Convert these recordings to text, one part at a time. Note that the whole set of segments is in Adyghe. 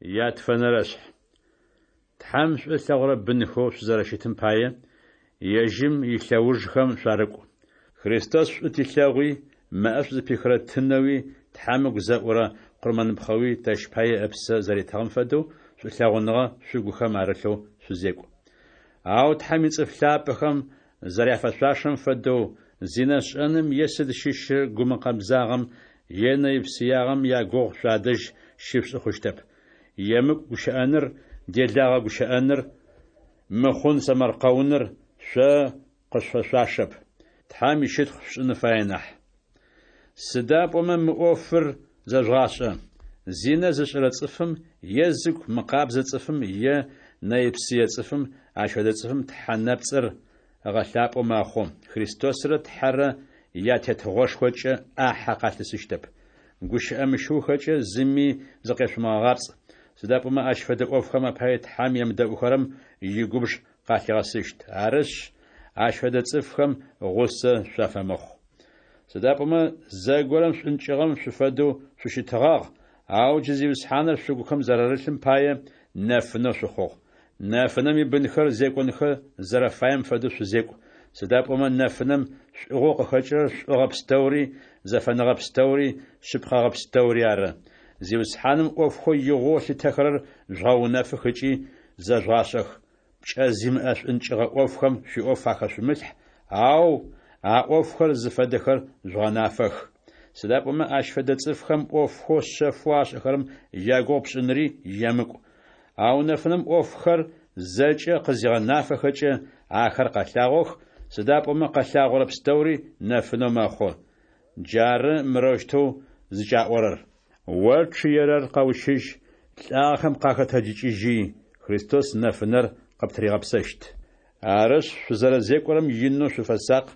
Ятфэнэрэшъхь. Тхьэм шӏу ылъэгъурэ бынхэу шъузэрэщытым пае, ежьым илъэужхэм шъуарыкӏу. Христос шӏу тилъэгъуи, мэӏэшӏу зыпихырэ тынэуи Тхьэм ыгу зэӏурэ къурмэныпхъэуи тэщ пае ыпсэ зэритыгъэм фэдэу шӏулъэгъуныгъэ шъугухэм арылъэу шъузекӏу. Ау Тхьэм ицӏыф лъапӏэхэм зэряфэшъуашэм фэдэу, зинэ шӏэным е сыд щыщы гумыкъэбзагъэм е нэйпсыягъэм ягугъу шъуадэжь щышъушӏы хъущтэп. Емыкӏу гущыӏэныр, делагъэ гущыӏэныр, мыхъун сэмэркъэуныр шъо къышъуфэшъуашэп. Тхьэм ищытхъу шъушӏын фае нахь. Сыда пӏомэ мы ӏофыр зэжъугъашӏэ: зинэ зышӏэрэ цӏыфым е зыгу мыкъабзэ цӏыфым е нэйпсые цӏыфым ащ фэдэ цӏыфым тхьэ нэпцӏыр ыгъэлъапӏэу мэхъу, Христосрэ Тхьэрэ я Тетыгъошхокӏэ ӏахьэ къалъысыщтэп. Гущыӏэ мыщыухэкӏэ зыми зыкъешъумыгъэгъапцӏ, сыда пӏомэ ащ фэдэ ӏофхэм апае Тхьэм емыдэӏухэрэм игубж къалъигъэсыщт. Арышъ, ащ фэдэ цӏыфхэм гъусэ шъуафэмыхъу. Сыда пӏомэ зэгорэм шӏункӏыгъэм шъуфэдэу шъущытыгъагъ, ау джы Зиусхьаныр шъугухэм зэрарылъым пае, нэфынэу шъухъугъ. Нэфынэм ибынхэр зекӏонхэ зэрэфаем фэдэу шъузекӏу, сыда пӏомэ нэфынэм шӏугъэу къыхэкӏырэр шӏугъэ пстэури, зэфэныгъэ пстэури, шъыпкъэгъэ пстэури ары. Зиусхьаным ӏофхэу игъоу ылъытэхэрэр жъугъэунэфых ыкӏи зэжъугъашӏэх. Пкӏэ зимыӏэ шӏункӏыгъэ ӏофхэм шъуиӏоф ахэшъумылъхь, ау а ӏофхэр зыфэдэхэр жъугъэнафэх. Сыда пӏомэ ащ фэдэ цӏыфхэм ӏофхэу шъэфэу ашӏэхэрэм ягугъу пшӏынри емыкӏу. Ау нэфынэм ӏофхэр зэкӏэ къызигъэнафэхэкӏэ, ахэр къэлъагъох, сыда пӏомэ къэлъагъорэ пстэури нэфынэу мэхъу. Джары мырэущтэу зыкӏаӏорэр: О чъыерэр, къэущыжь, лӏагъэхэм къахэтэджыкӏыжьи, Христос нэфынэр къыптыригъэпсэщт. Арышъ, шъузэрэзекӏорэм инэу шъуфэсакъ,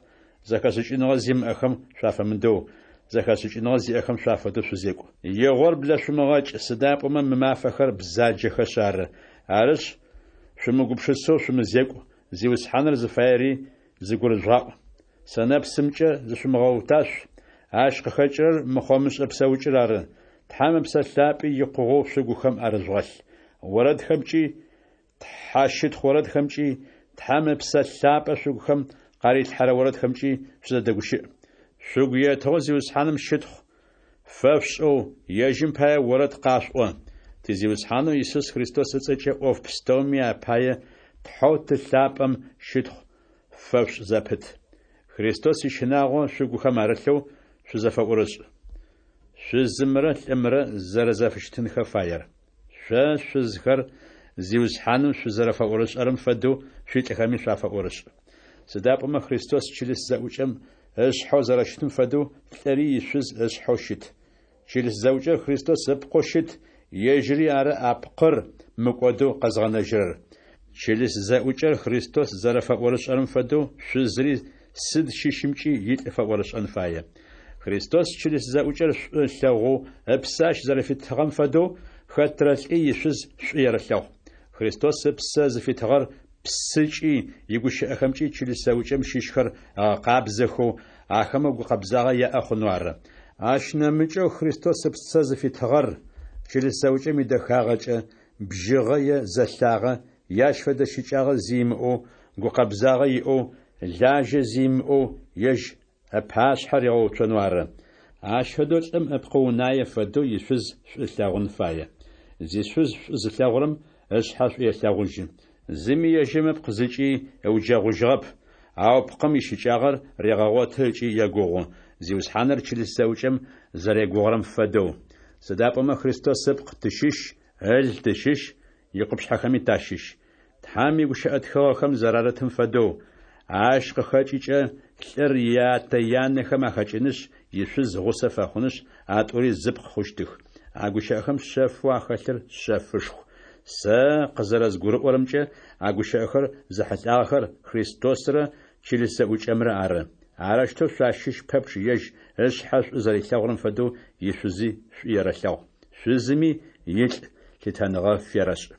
зэхэшӏыкӏыныгъэ зимыӏэхэм шъуафэмыдэу, зэхэшӏыкӏыныгъэ зиӏэхэм шъуафэдэу шъузекӏу. Игъор блэшъумыгъэкӏ, сыда пӏомэ мы мафэхэр бзаджэхэшъ ары. Арышъ, шъумыгупшысэу шъумызекӏу, Зиусхьаныр зыфаери зыгурыжъугъаӏу. Сэнэпсымкӏэ зышъумыгъэуташъу, ащ къыхэкӏырэр мыхъомышӏэ псэукӏэр ары. Тхьэм Ыпсэ Лъапӏи икъугъэу шъугухэм арыжъугъэлъ. Орэдхэмкӏи, тхьэщытхъу орэдхэмкӏи, Тхьэм Ыпсэ Лъапӏэ шъугухэм къарилъхьэрэ орэдхэмкӏи шъузэдэгущыӏ. Шъугу етыгъэу Зиусхьаным щытхъу фэшъушӏэу, ежьым пае орэд къашъуӏо. Ти Зиусхьанэу Исус Христос ыцӏэкӏэ ӏоф пстэуми апае Тхьэу Ты лъапӏэм щытхъу фэшъушӏ зэпыт. Христос ищынагъо шъугухэм арылъэу шъузэфэӏурышӏ. Шъузымрэ лӏымрэ зэрэзэфыщытынхэ фаер. Шъо, шъузхэр, Зиусхьаным шъузэрэфэӏорышӏэрэм фэдэу шъуилӏхэми шъуафэӏорышӏ. Сыда пӏомэ Христос чылыс зэӏукӏэм ышъхьэу зэрэщытым фэдэу лӏыри ишъуз ышъхьэу щыт. Чылыс зэӏукӏэр Христос ыпкъэу щыт, ежьыри ары а пкъыр мыкӏодэу къэзгъэнэжьырэр. Чылыс зэӏукӏэр Христос зэрэфэӏорышӏэрэм фэдэу шъузри сыд щыщымкӏи илӏ фэӏорышӏэн фае. Христос чылыс зэӏукӏэр шӏу ылъэгъоу ыпсэ ащ зэрэфитыгъэм фэдэу, хэтрэ лӏи ишъуз шӏу ерэлъэгъу. Христос ыпсэ зыфитыгъэр псыкӏи игущыӏэхэмкӏи чылыс зэӏукӏэм щыщхэр ыгъэкъабзэхэу, ахэмэ гукъэбзагъэ яӏэ хъунэу ары. Ащ нэмыкӏэу Христос ыпсэ зыфитыгъэр чылыс зэӏукӏэм идэхагъэкӏэ, бжьыгъэ е зэлъагъэ, е ащ фэдэ щыкӏагъэ зи имыӏэу, гукъэбзагъэ иӏэу, лажьэ зи имыӏэу ежь ыпашъхьэ ригъэуцонэу ары. Ащ фэдэу лӏым ыпкъы унае фэдэу ишъуз шӏу ылъэгъун фае. Зишъуз шӏу зылъэгъурэм ышъхьэ шӏу елъэгъужьы. Зыми ежьым ыпкъ зыкӏи ыуджэгъужьыгъэп, ау пкъым ищыкӏагъэр регъэгъоты ыкӏи егугъу, Зиусхьаныр чылыс зэӏукӏэм зэрегугъурэм фэдэу. Сыда пӏомэ Христос ыпкъ тыщыщ, ыл тыщыщ, икъупшъхьэхэми тащыщ. Тхьэм игущыӏэ тхыгъэхэм зэрарытым фэдэу, ащ къыхэкӏыкӏэ лӏыр ятэ-янэхэм ахэкӏынышъ, ишъуз гъусэ фэхъунышъ, а тӏури зыпкъ хъущтых. А гущыӏэхэм шъэфэу ахэлъыр шъэфышху. Сэ къызэрэзгурыӏорэмкӏэ, а гущыӏэхэр зэхьылӏагъэхэр Христосрэ чылыс зэӏукӏэмрэ ары. Арэущтэу шъуащыщ пэпчъ ежь ышъхьэ шӏу зэрилъэгъурэм фэдэу ишъузи шӏу ерэлъэгъу. Шъузыми илӏ лъытэныгъэ ферэшӏ.